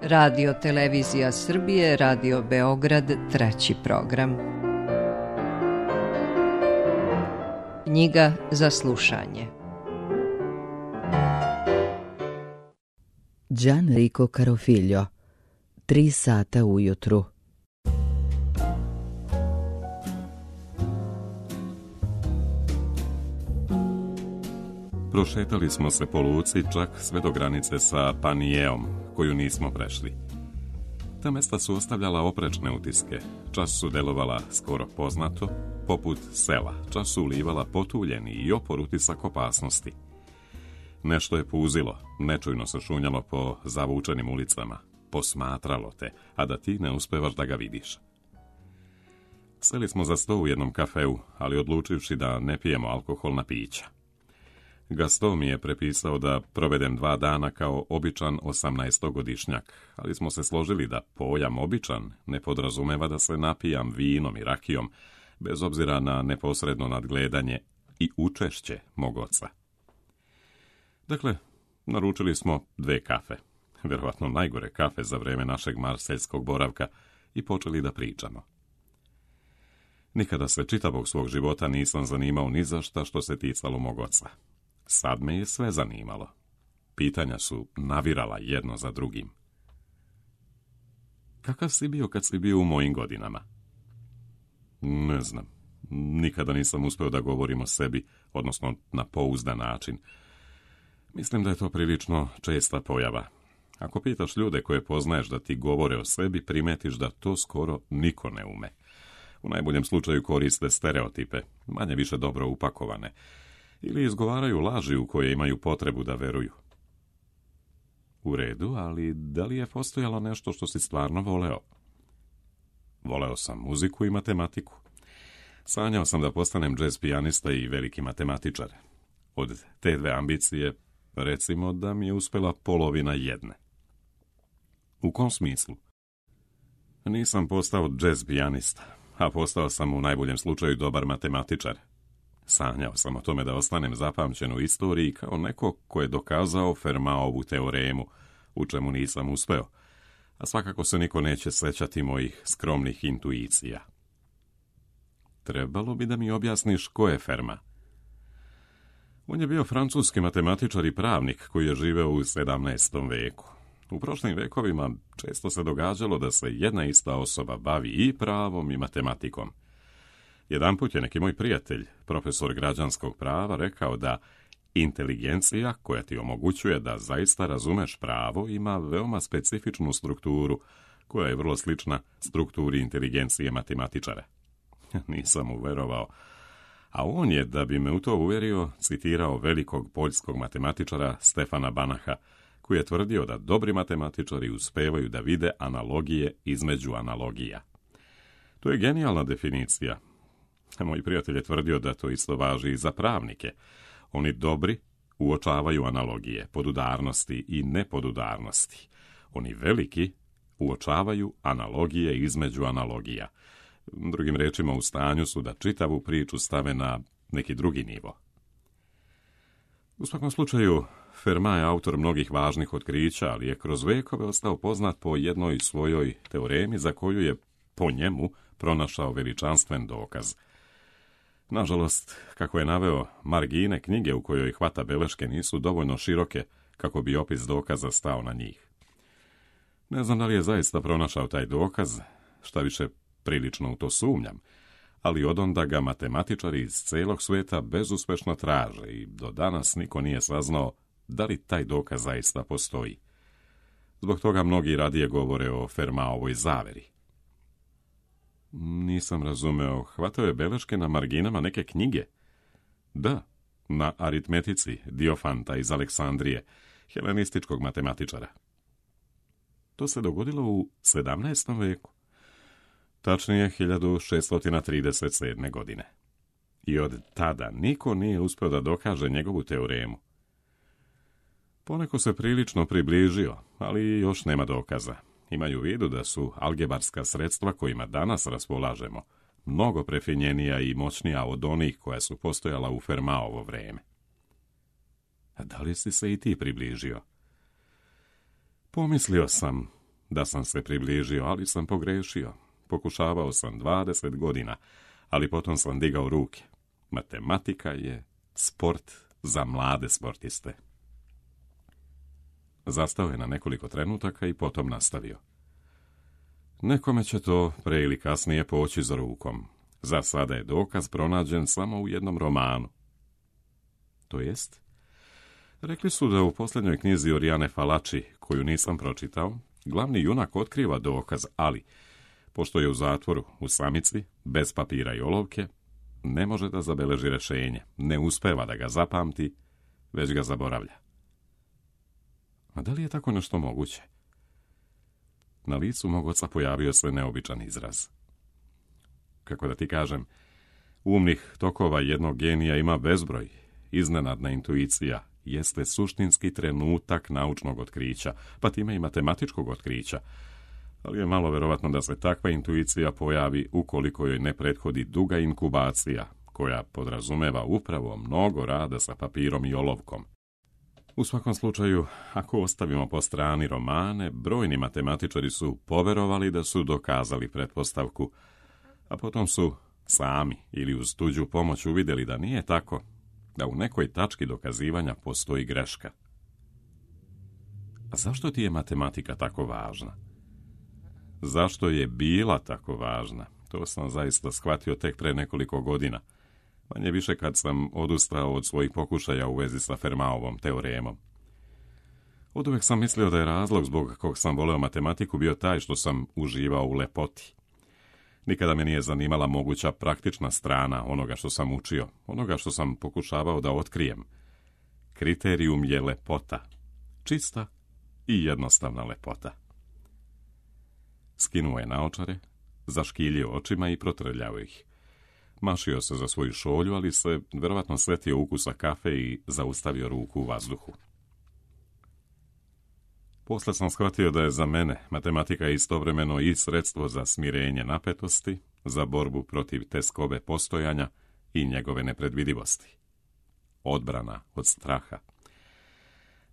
Radio Televizija Srbije, Radio Beograd, 3. program. Knjiga za slušanje. Gianrico Carofiglio, 3 sata ujutru. Prošetali smo se po luci čak sve do granice sa Panijeom, koju nismo prešli. Ta mesta su ostavljala oprečne utiske, čas su delovala skoro poznato, poput sela, čas su ulivala potuljeni i opor utisak opasnosti. Nešto je puzilo, nečujno se šunjalo po zavučenim ulicama, posmatralo te, a da ti ne uspevaš da ga vidiš. Seli smo za sto u jednom kafeu, ali odlučivši da ne pijemo alkoholna pića. Gaston mi je prepisao da provedem 2 dana kao običan 18-godišnjak, ali smo se složili da pojam običan ne podrazumeva da se napijam vinom i rakijom, bez obzira na neposredno nadgledanje i učešće mog oca. Dakle, naručili smo 2 kafe, vjerovatno najgore kafe za vreme našeg marseljskog boravka, i počeli da pričamo. Nikada se čitavog svog života nisam zanimao ni za šta što se ticalo mog oca. Sad me je sve zanimalo. Pitanja su navirala jedno za drugim. Kakav si bio kad si bio u mojim godinama? Ne znam. Nikada nisam uspeo da govorim o sebi, odnosno na pouzdan način. Mislim da je to prilično česta pojava. Ako pitaš ljude koje poznaješ da ti govore o sebi, primetiš da to skoro niko ne ume. U najboljem slučaju koriste stereotipe, manje više dobro upakovane, ili izgovaraju laži u koje imaju potrebu da veruju. U redu, ali da li je postojalo nešto što si stvarno voleo? Voleo sam muziku i matematiku. Sanjao sam da postanem džez pijanista i veliki matematičar. Od te 2 ambicije, recimo da mi je uspela polovina jedne. U kom smislu? Nisam postao džez pijanista, a postao sam u najboljem slučaju dobar matematičar. Sanjao sam o tome da ostanem zapamćen u istoriji kao neko ko je dokazao Fermatovu teoremu, u čemu nisam uspeo, a svakako se niko neće sećati mojih skromnih intuicija. Trebalo bi da mi objasniš ko je Fermat. On je bio francuski matematičar i pravnik koji je živeo u 17. veku. U prošlim vekovima često se događalo da se jedna ista osoba bavi i pravom i matematikom. Jedanput je neki moj prijatelj, profesor građanskog prava, rekao da inteligencija koja ti omogućuje da zaista razumeš pravo ima veoma specifičnu strukturu, koja je vrlo slična strukturi inteligencije matematičara. Nisam mu verovao, a on je, da bi me u to uverio, citirao velikog poljskog matematičara Stefana Banacha, koji je tvrdio da dobri matematičari uspevaju da vide analogije između analogija. To je genijalna definicija. Moj prijatelj je tvrdio da to isto važi i za pravnike. Oni dobri uočavaju analogije, podudarnosti i nepodudarnosti. Oni veliki uočavaju analogije između analogija. Drugim rečima, u stanju su da čitavu priču stave na neki drugi nivo. U svakom slučaju, Fermat je autor mnogih važnih otkrića, ali je kroz vekove ostao poznat po jednoj svojoj teoremi za koju je po njemu pronašao veličanstven dokaz. Nažalost, kako je naveo, margine knjige u kojoj hvata beleške nisu dovoljno široke kako bi opis dokaza stao na njih. Ne znam da li je zaista pronašao taj dokaz, šta više prilično u to sumnjam, ali odonda ga matematičari iz celog sveta bezuspešno traže i do danas niko nije saznao da li taj dokaz zaista postoji. Zbog toga mnogi radije govore o Fermatovoj zaveri. Nisam razumeo, hvatao je beleške na marginama neke knjige? Da, na aritmetici Diofanta iz Aleksandrije, helenističkog matematičara. To se dogodilo u 17. veku. Tačnije 1637. godine. I od tada niko nije uspio da dokaže njegovu teoremu. Poneko se prilično približio, ali još nema dokaza. Imaju u vidu da su algebarska sredstva kojima danas raspolažemo mnogo prefinjenija i moćnija od onih koja su postojala u Fermatovo vreme. A da li si se i ti približio? Pomislio sam, da sam se približio, ali sam pogrešio. Pokušavao sam 20 godina, ali potom sam digao ruke. Matematika je sport za mlade sportiste. Zastao je na nekoliko trenutaka i potom nastavio. Nekome će to pre ili kasnije poći za rukom. Za sada je dokaz pronađen samo u jednom romanu. To jest? Rekli su da u posljednjoj knjizi Oriane Fallaci, koju nisam pročitao, glavni junak otkriva dokaz, ali, pošto je u zatvoru, u samici, bez papira i olovke, ne može da zabeleži rješenje, ne uspeva da ga zapamti, već ga zaboravlja. A da li je tako nešto moguće? Na licu mog oca pojavio se neobičan izraz. Kako da ti kažem, umnih tokova jednog genija ima bezbroj. Iznenadna intuicija jeste suštinski trenutak naučnog otkrića, pa time i matematičkog otkrića, ali je malo verovatno da se takva intuicija pojavi ukoliko joj ne prethodi duga inkubacija, koja podrazumeva upravo mnogo rada sa papirom i olovkom. U svakom slučaju, ako ostavimo po strani romane, brojni matematičari su poverovali da su dokazali pretpostavku, a potom su sami ili uz tuđu pomoć uvidjeli da nije tako, da u nekoj tački dokazivanja postoji greška. A zašto ti je matematika tako važna? Zašto je bila tako važna? To sam zaista shvatio tek pre nekoliko godina. Manje više kad sam odustao od svojih pokušaja u vezi sa Fermatovom teoremom. Oduvek sam mislio da je razlog zbog kog sam voleo matematiku bio taj što sam uživao u lepoti. Nikada me nije zanimala moguća praktična strana onoga što sam učio, onoga što sam pokušavao da otkrijem. Kriterijum je lepota. Čista i jednostavna lepota. Skinuo je naočare, zaškiljio očima i protrljao ih. Mašio se za svoju šolju, ali se verovatno sletio ukusa kafe i zaustavio ruku u vazduhu. Posle sam shvatio da je za mene matematika istovremeno i sredstvo za smirenje napetosti, za borbu protiv teskove postojanja i njegove nepredvidivosti. Odbrana od straha.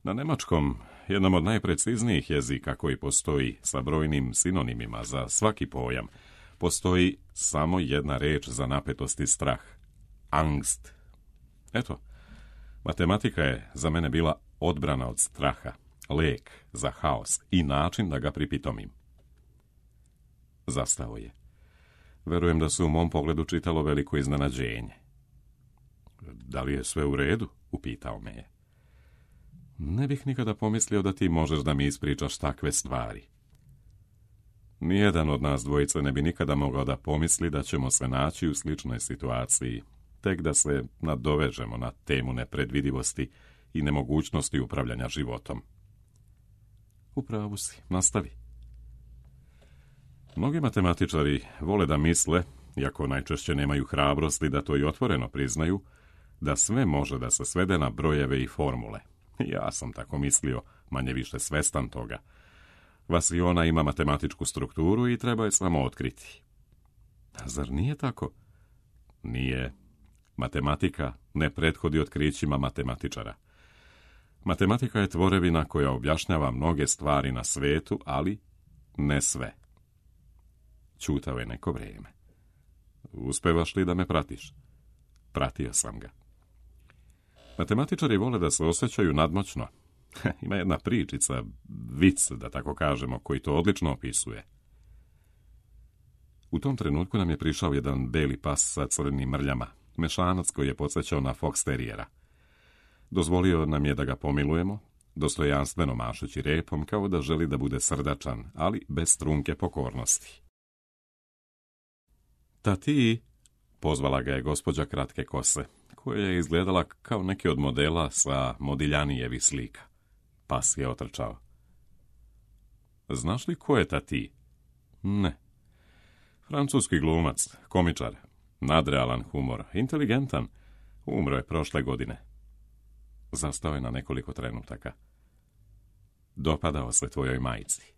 Na nemačkom, jednom od najpreciznijih jezika koji postoji sa brojnim sinonimima za svaki pojam, postoji samo jedna reč za napetost i strah. Angst. Eto, matematika je za mene bila odbrana od straha, lek za haos i način da ga pripitomim. Zastao je. Verujem da se u mom pogledu čitalo veliko iznenađenje. Da li je sve u redu? Upitao me je. Ne bih nikada pomislio da ti možeš da mi ispričaš takve stvari. Nijedan od nas dvojice ne bi nikada mogao da pomisli da ćemo se naći u sličnoj situaciji, tek da se nadovežemo na temu nepredvidivosti i nemogućnosti upravljanja životom. Upravo si, nastavi. Mnogi matematičari vole da misle, iako najčešće nemaju hrabrosti da to i otvoreno priznaju, da sve može da se svede na brojeve i formule. Ja sam tako mislio, manje više svestan toga. Vasiona ima matematičku strukturu i treba je samo otkriti. A zar nije tako? Nije. Matematika ne prethodi otkrićima matematičara. Matematika je tvorevina koja objašnjava mnoge stvari na svetu, ali ne sve. Ćutao je neko vrijeme. Uspevaš li da me pratiš? Pratio sam ga. Matematičari vole da se osjećaju nadmoćno. Ima jedna pričica, vic, da tako kažemo, koji to odlično opisuje. U tom trenutku nam je prišao jedan beli pas sa crvenim mrljama, mešanac koji je podsjećao na fox terijera. Dozvolio nam je da ga pomilujemo, dostojanstveno mašući repom, kao da želi da bude srdačan, ali bez trunke pokornosti. Tati, pozvala ga je gospođa kratke kose, koja je izgledala kao neki od modela sa Modiljanijevih slika. Pas je otrčao. Znaš li ko je Tati? Ne. Francuski glumac, komičar, nadrealan humor, inteligentan, umro je prošle godine. Zastao je na nekoliko trenutaka. Dopadao se tvojoj majci.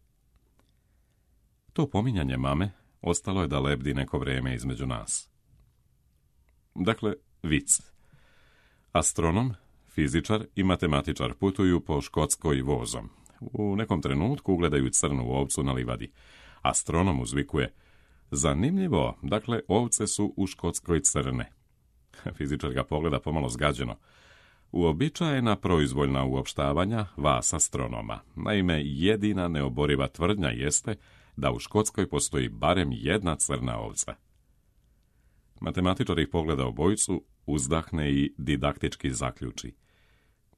To pominjanje mame ostalo je da lebdi neko vrijeme između nas. Dakle, vic. Astronom, fizičar i matematičar putuju po Škotskoj vozom. U nekom trenutku ugledaju crnu ovcu na livadi. Astronom uzvikuje: zanimljivo, dakle, ovce su u Škotskoj crne. Fizičar ga pogleda pomalo zgađeno. Uobičajena proizvoljna uopštavanja vas astronoma. Naime, jedina neoboriva tvrdnja jeste da u Škotskoj postoji barem jedna crna ovca. Matematičar ih pogleda obojicu, uzdahne i didaktički zaključi: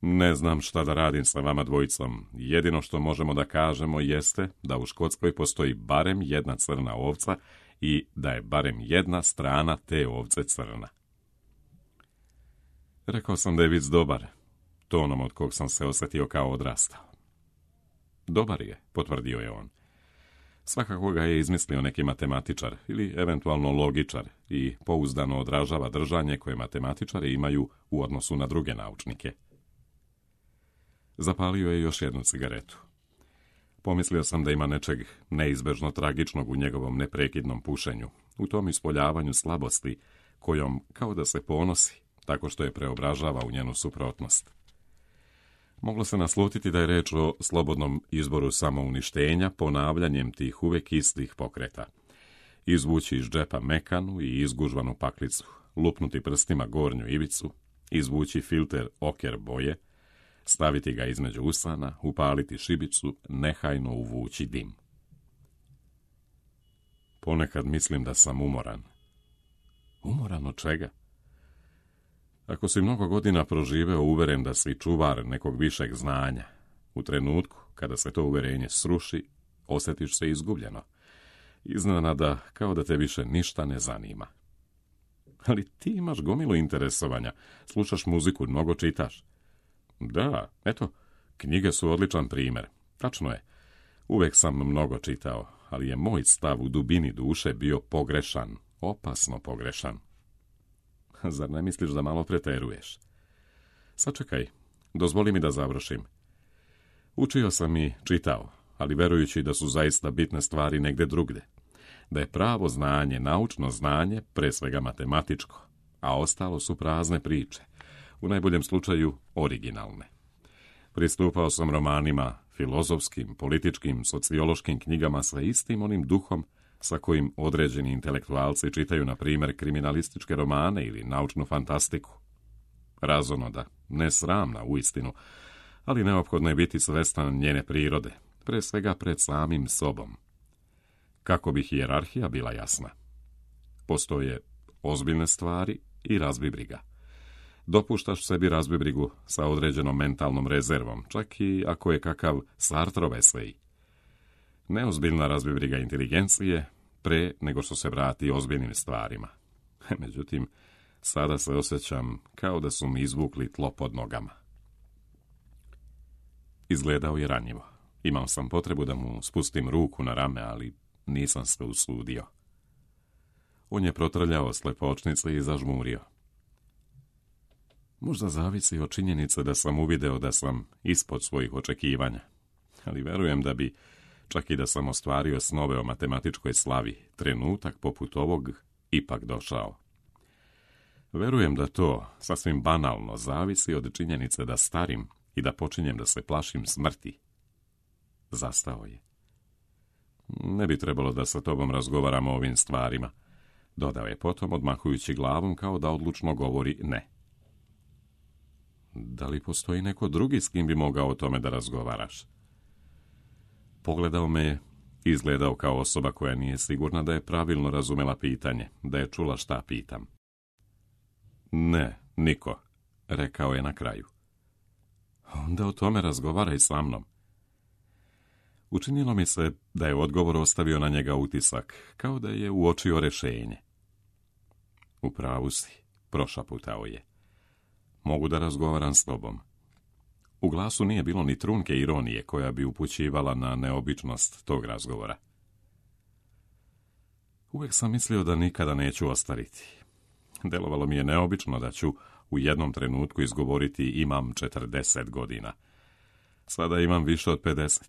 ne znam šta da radim sa vama dvojicom. Jedino što možemo da kažemo jeste da u Škotskoj postoji barem jedna crna ovca i da je barem jedna strana te ovce crna. Rekao sam da je vic dobar, tonom od kog sam se osjetio kao odrastao. Dobar je, potvrdio je on. Svakako ga je izmislio neki matematičar ili eventualno logičar i pouzdano odražava držanje koje matematičari imaju u odnosu na druge naučnike. Zapalio je još jednu cigaretu. Pomislio sam da ima nečeg neizbežno tragičnog u njegovom neprekidnom pušenju, u tom ispoljavanju slabosti, kojom kao da se ponosi, tako što je preobražava u njenu suprotnost. Moglo se naslutiti da je reč o slobodnom izboru samouništenja ponavljanjem tih uvek istih pokreta. Izvući iz džepa mekanu i izgužvanu paklicu, lupnuti prstima gornju ivicu, izvući filter oker boje, staviti ga između usana, upaliti šibicu, nehajno uvući dim. Ponekad mislim da sam umoran. Umoran od čega? Ako si mnogo godina proživeo uveren da si čuvar nekog višeg znanja, u trenutku kada se to uverenje sruši, osjetiš se izgubljeno. Iznenada kao da te više ništa ne zanima. Ali ti imaš gomilu interesovanja, slušaš muziku, mnogo čitaš. Da, eto, knjige su odličan primjer. Tačno je, uvek sam mnogo čitao, ali je moj stav u dubini duše bio pogrešan, opasno pogrešan. Zar ne misliš da malo preteruješ? Sačekaj, dozvoli mi da završim. Učio sam i čitao, ali verujući da su zaista bitne stvari negde drugde. Da je pravo znanje, naučno znanje, pre svega matematičko, a ostalo su prazne priče, u najboljem slučaju originalne. Pristupao sam romanima, filozofskim, političkim, sociološkim knjigama sa istim onim duhom sa kojim određeni intelektualci čitaju, na primjer, kriminalističke romane ili naučnu fantastiku. Razonoda, ne sramna uistinu, ali neophodno je biti svestan njene prirode, pre svega pred samim sobom. Kako bi hijerarhija bila jasna? Postoje ozbiljne stvari i razbibriga. Dopuštaš sebi razbibrigu sa određenom mentalnom rezervom, čak i ako je kakav Sartrov esej. Neozbiljna razbibriga inteligencije pre nego što se vrati ozbiljnim stvarima. Međutim, sada se osjećam kao da su mi izvukli tlo pod nogama. Izgledao je ranjivo. Imao sam potrebu da mu spustim ruku na rame, ali nisam se usudio. On je protrljao slepočnice i zažmurio. Možda zavisi od činjenice da sam uvideo da sam ispod svojih očekivanja, ali verujem da bi, čak i da sam ostvario snove o matematičkoj slavi, trenutak poput ovog ipak došao. Verujem da to, sasvim banalno, zavisi od činjenice da starim i da počinjem da se plašim smrti. Zastao je. Ne bi trebalo da sa tobom razgovaramo o ovim stvarima, dodao je potom, odmahujući glavom kao da odlučno govori ne. Da li postoji neko drugi s kim bi mogao o tome da razgovaraš? Pogledao me je, izgledao kao osoba koja nije sigurna da je pravilno razumela pitanje, da je čula šta pitam. Ne, niko, rekao je na kraju. Onda o tome razgovaraj sa mnom. Učinilo mi se da je odgovor ostavio na njega utisak, kao da je uočio rešenje. U pravu si, prošaputao je. Mogu da razgovaram s tobom. U glasu nije bilo ni trunke ironije koja bi upućivala na neobičnost tog razgovora. Uvijek sam mislio da nikada neću ostariti. Delovalo mi je neobično da ću u jednom trenutku izgovoriti imam 40 godina. Sada imam više od 50.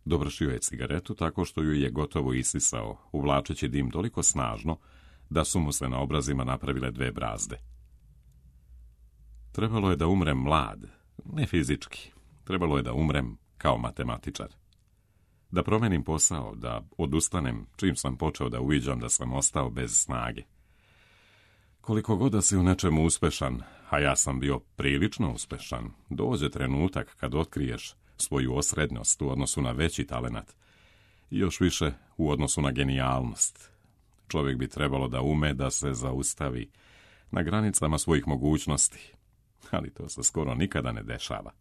Dovršio je cigaretu tako što ju je gotovo isisao, uvlačeći dim toliko snažno da su mu se na obrazima napravile 2 brazde. Trebalo je da umrem mlad, ne fizički, Trebalo je da umrem kao matematičar. Da promenim posao, da odustanem čim sam počeo da uviđam da sam ostao bez snage. Koliko god da si u nečemu uspešan, a ja sam bio prilično uspešan, dođe trenutak kad otkriješ svoju osrednjost u odnosu na veći talenat i još više u odnosu na genijalnost. Čovjek bi trebalo da ume da se zaustavi na granicama svojih mogućnosti, ali to se skoro nikada ne dešava.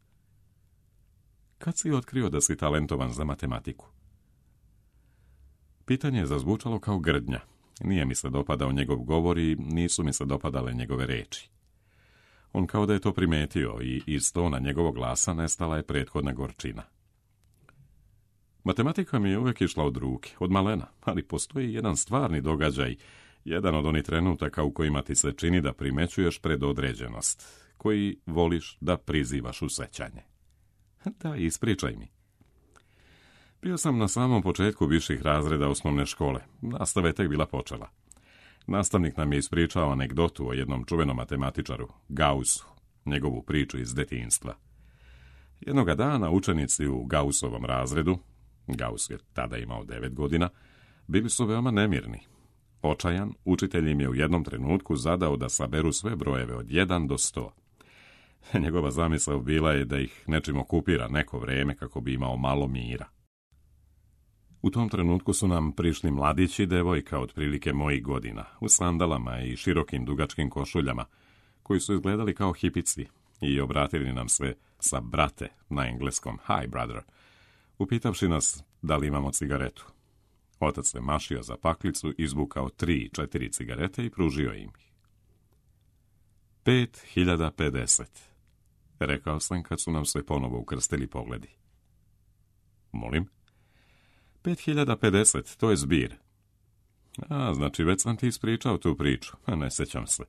Kad si otkrio da si talentovan za matematiku? Pitanje je zazvučalo kao grdnja. Nije mi se dopadao njegov govor i nisu mi se dopadale njegove reči. On kao da je to primetio i iz tona njegovog glasa nestala je prethodna gorčina. Matematika mi je uvijek išla od ruke, od malena, ali postoji jedan stvarni događaj, jedan od onih trenutaka u kojima ti se čini da primećuješ predodređenost, koji voliš da prizivaš u sećanje. Da, ispričaj mi. Bio sam na samom početku viših razreda osnovne škole. Nastava je tek bila počela. Nastavnik nam je ispričao anegdotu o jednom čuvenom matematičaru, Gaussu, njegovu priču iz detinjstva. Jednoga dana učenici u Gaussovom razredu, Gauss je tada imao 9 godina, bili su veoma nemirni. Očajan, učitelj im je u jednom trenutku zadao da saberu sve brojeve od 1 do 100. Njegova zamisao bila je da ih nečim okupira neko vreme kako bi imao malo mira. U tom trenutku su nam prišli mladić i devojka otprilike mojih godina, u sandalama i širokim dugačkim košuljama, koji su izgledali kao hipici i obratili nam se sa brate na engleskom hi brother, upitavši nas da li imamo cigaretu. Otac se mašio za paklicu, izvukao 3-4 cigarete i pružio im ih. 5050, rekao sam kad su nam se ponovo ukrstili pogledi. Molim? 5050, to je zbir. A, znači već sam ti ispričao tu priču, a ne sećam se.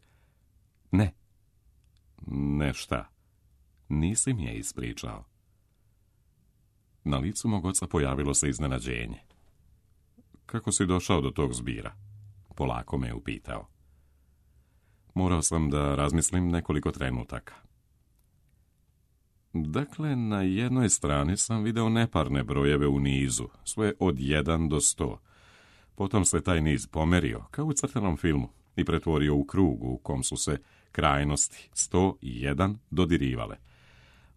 Ne. Ne šta? Nisi mi je ispričao. Na licu mog oca pojavilo se iznenađenje. Kako si došao do tog zbira? Polako me je upitao. Morao sam da razmislim nekoliko trenutaka. Dakle, na jednoj strani sam video neparne brojeve u nizu, sve od 1 do 100. Potom se taj niz pomerio, kao u crtanom filmu, i pretvorio u krug u kom su se krajnosti 100 i 1 dodirivale.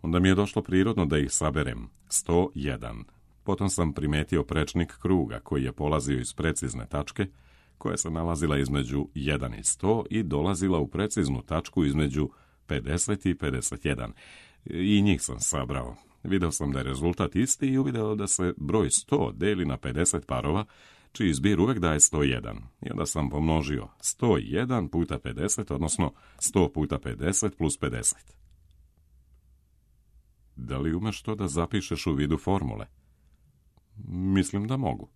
Onda mi je došlo prirodno da ih saberem, 101. Potom sam primetio prečnik kruga koji je polazio iz precizne tačke, koja se nalazila između 1 i 100 i dolazila u preciznu tačku između 50 i 51. I njih sam sabrao. Video sam da je rezultat isti i uvideo da se broj 100 deli na 50 parova, čiji zbir uvek daje 101. I onda sam pomnožio 101 puta 50, odnosno 100 puta 50 plus 50. Da li umeš to da zapišeš u vidu formule? Mislim da mogu.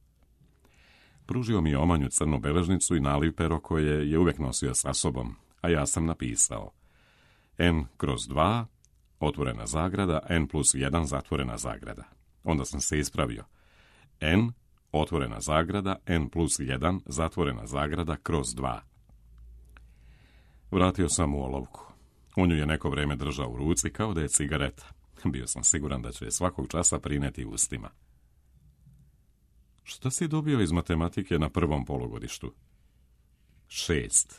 Pružio mi je omanju crnu beležnicu i naliv pero koje je uvek nosio sa sobom, a ja sam napisao n kroz 2, otvorena zagrada, n plus 1, zatvorena zagrada. Onda sam se ispravio. N, otvorena zagrada, n plus 1, zatvorena zagrada, kroz 2. Vratio sam u olovku. On ju je neko vreme držao u ruci kao da je cigareta. Bio sam siguran da će je svakog časa prineti ustima. Šta si dobio iz matematike na prvom polugodištu? 6.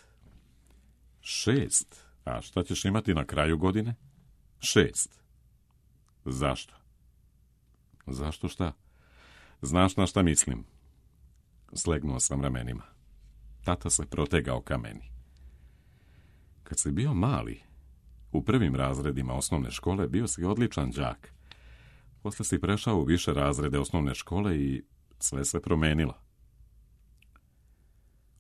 6? A šta ćeš imati na kraju godine? 6. Zašto? Zašto šta? Znaš na šta mislim? Slegnuo sam ramenima. Tata se protegao ka meni. Kad si bio mali, u prvim razredima osnovne škole bio si odličan đak. Posle si prešao u više razrede osnovne škole i sve se promenilo.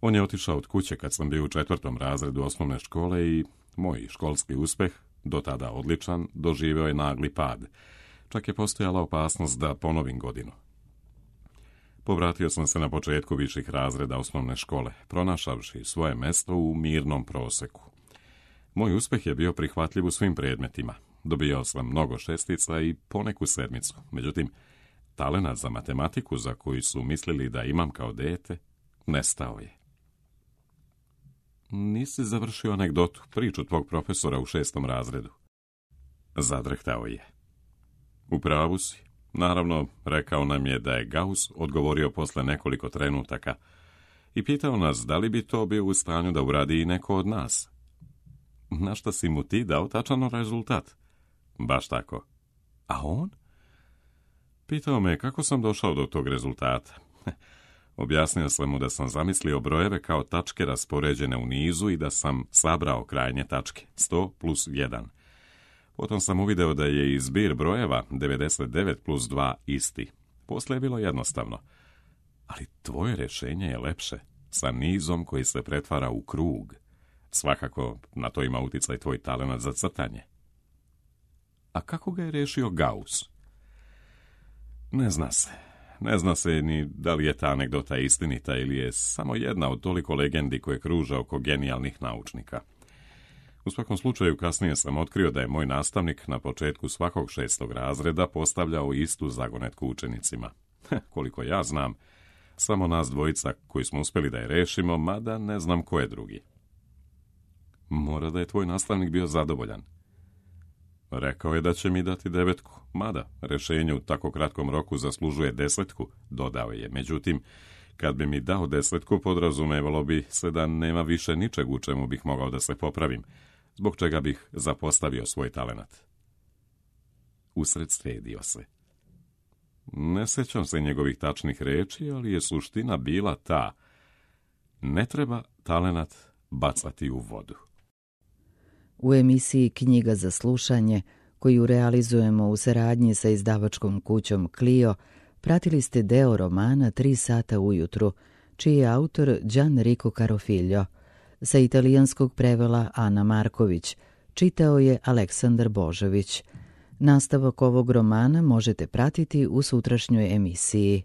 On je otišao od kuće kad sam bio u 4. razredu osnovne škole i moj školski uspeh, do tada odličan, doživeo je nagli pad. Čak je postojala opasnost da ponovim godinu. Povratio sam se na početku viših razreda osnovne škole, pronašavši svoje mesto u mirnom proseku. Moj uspeh je bio prihvatljiv u svim predmetima. Dobijao sam mnogo šestica i poneku sedmicu. Međutim, talenat za matematiku, za koji su mislili da imam kao dete, nestao je. Nisi završio anegdotu, priču tvog profesora u 6. razredu. Zadrhtao je. U pravu si. Naravno, rekao nam je da je Gauss odgovorio posle nekoliko trenutaka i pitao nas da li bi to bio u stanju da uradi i neko od nas. Na šta si mu ti dao tačan rezultat? Baš tako. A on? Pitao me kako sam došao do tog rezultata. Objasnio sam mu da sam zamislio brojeve kao tačke raspoređene u nizu i da sam sabrao krajnje tačke, 100 plus 1. Potom sam uvideo da je i zbir brojeva 99 plus 2 isti. Poslije je bilo jednostavno. Ali tvoje rješenje je lepše, sa nizom koji se pretvara u krug. Svakako na to ima uticaj tvoj talenat za crtanje. A kako ga je riješio Gauss? Ne zna se. Ne zna se ni da li je ta anegdota istinita ili je samo jedna od toliko legendi koje kruža oko genijalnih naučnika. U svakom slučaju kasnije sam otkrio da je moj nastavnik na početku svakog 6. razreda postavljao istu zagonetku učenicima. Koliko ja znam, samo nas dvojica koji smo uspjeli da je rešimo, mada ne znam ko je drugi. Mora da je tvoj nastavnik bio zadovoljan. Rekao je da će mi dati 9, mada rešenje u tako kratkom roku zaslužuje 10, dodao je. Međutim, kad bi mi dao 10, podrazumevalo bi se da nema više ničeg u čemu bih mogao da se popravim, zbog čega bih zapostavio svoj talenat. Usred sredio se. Ne sećam se njegovih tačnih reči, ali je suština bila ta: ne treba talenat bacati u vodu. U emisiji Knjiga za slušanje, koju realizujemo u saradnji sa izdavačkom kućom Clio, pratili ste deo romana 3 sata ujutru, čiji je autor Gianrico Carofiglio. Sa italijanskog prevela Ana Marković, čitao je Aleksandar Božović. Nastavak ovog romana možete pratiti u sutrašnjoj emisiji.